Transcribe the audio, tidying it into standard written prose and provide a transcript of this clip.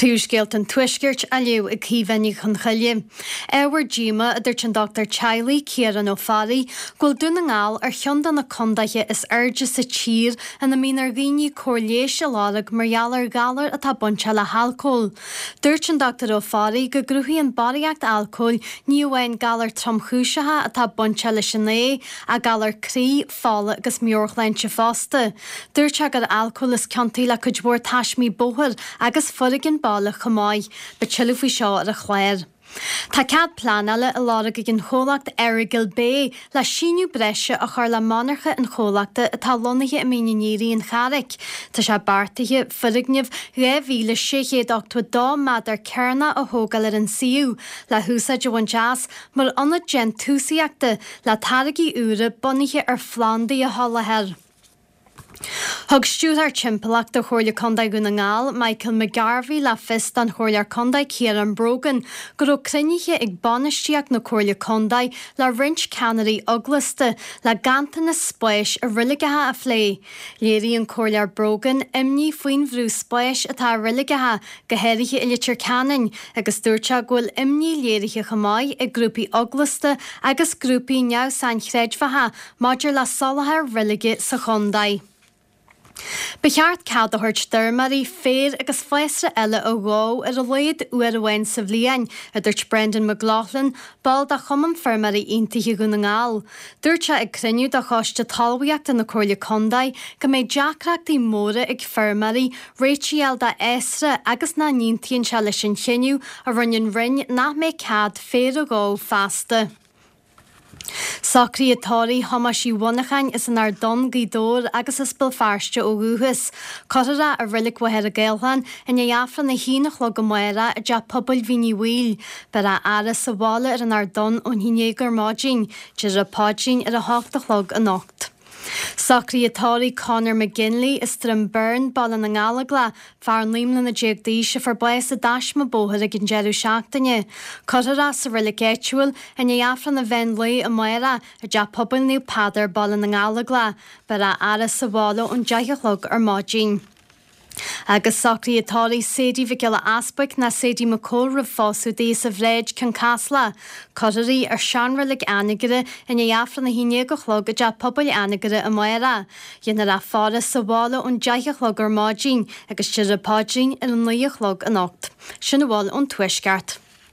Príomhscéalta an Tuaiscirt á léamh ag Caoimhe Ní Chonchoille. Ábhar díomá, a dúirt an dochtúir teaghlaigh, Ciarán Ó Fearraigh, go bhfuil Dún na nGall ar cheann de na condaetha is airde sa tír ina mbíonn ar dhaoine cóir leighis a lorg mar gheall ar ghalair atá bainteach le halcól. Dúirt an Dr Ó Fearraigh go gcruthaíonn barraíocht alcóil ní amháin galair tromchúiseacha atá bainteach leis an ae, ach galair croí, fola agus meabhairshláinte fosta. Dúirt sé gur alcól is ciontaí le cuid mhór taismí bóthair agus foréigean baile chomh maith. Beidh tuilleadh faoi seo ar an chlár. Tá cead pleanála á lorg ag an chomhlacht Errigal Bay le síneadh breise a chur le monarcha an chomhlachta atá lonnaithe i Mín an Aoraigh, An Charraic. Tá sé beartaithe foirgneamh 2,682 méadar cearnach a thógáil ar an suíomh le húsáid a bhaint as mar ionad déantúsaíochta le táirgí úra bunaithe ar phlandaí a sholáthar. Thug Stiúrthóir Timpeallachta Chomhairle Contae Dhún na nGall, Michael McGarvey le fios don Chomhairleoir Contae Ciarán Brogan go raibh cruinnithe ag bainistíocht na Comhairle Contae le roinnt ceannairí eaglasta le ganntanas spáis i reiligeacha a phlé. Léirigh an Comhairleoir Brogan imní faoin bhrú spáis atá ar reiligeacha, go háirithe i Leitir Ceanainn, agus dúirt sé go bhfuil imní léirithe chomh maith ag grúpaí eaglasta agus grúpaí neamh-sainchreidmheacha maidir le soláthar reilige sa chontae. Ba cheart cead a thabhairt d'fheirmeoirí féar agus fásra eile a dhó ar a laghad uair amháin sa bhliain, a dúirt Brendan McLaughlin, ball de Chumann Feirmeoirí Aontaithe Dhún na nGall. Dúirt sé ag cruinniú de Choiste Talmhaíochta na Comhairle Contae go mbeidh deacrachtaí móra ag feirmeoirí réitigh a fháil d'fhásra agus nach n-aontaíonn sé leis an chinneadh a rinne an Roinn nach mbeidh cead féar a dhó feasta. Socruithe tórraimh Thomáis Uí Mhonacháin as an Ard Donn, Gaoth Dobhair agus as Béal Feirste ó dhúchas. Cuirfear é i Reilig Mhachaire Gathlán i ndiaidh Aifreann a haon a chlog amárach i dTeach Pobail Mhín Uí Bhaoill. Beidh á fhaire sa bhaile ar an Ard Donn ón haon déag ar maidin. Déarfar an paidrín ar a hocht a chlog anocht. Socruithe tórraimh Conor McGinley as Droim Byrne, Baile na nGallóglach, fear 19 mbliana d'aois a fuair bás i dtaisme bóthair ag an deireadh seachtaine. Cuirfear é sa reilig áitiúil i ndiaidh Aifreann an mheán lae amárach i dTeach Pobail Naomh Peadar, Baile na nGallóglach. Beidh á fhaire sa bhaile ón 10 a chlog ar maidin. Agus socruithe tórraimh Sadie Mhic Giolla Easbuic ná Sadie McCole roimh phósadh di as an Bhráid, Cionn Caslach. Cuirfear í ar seanreilig Anagaire i ndiaidh Aifreann a haon déag a chlog i dTeach Pobail Anagaire amárach. Déanfar í a fhaire sa bhaile ón deich a chlog ar maidin agus déarfar an paidrín ar a naoi a chlog anocht. Sin a bhfuil ón Tuaisceart.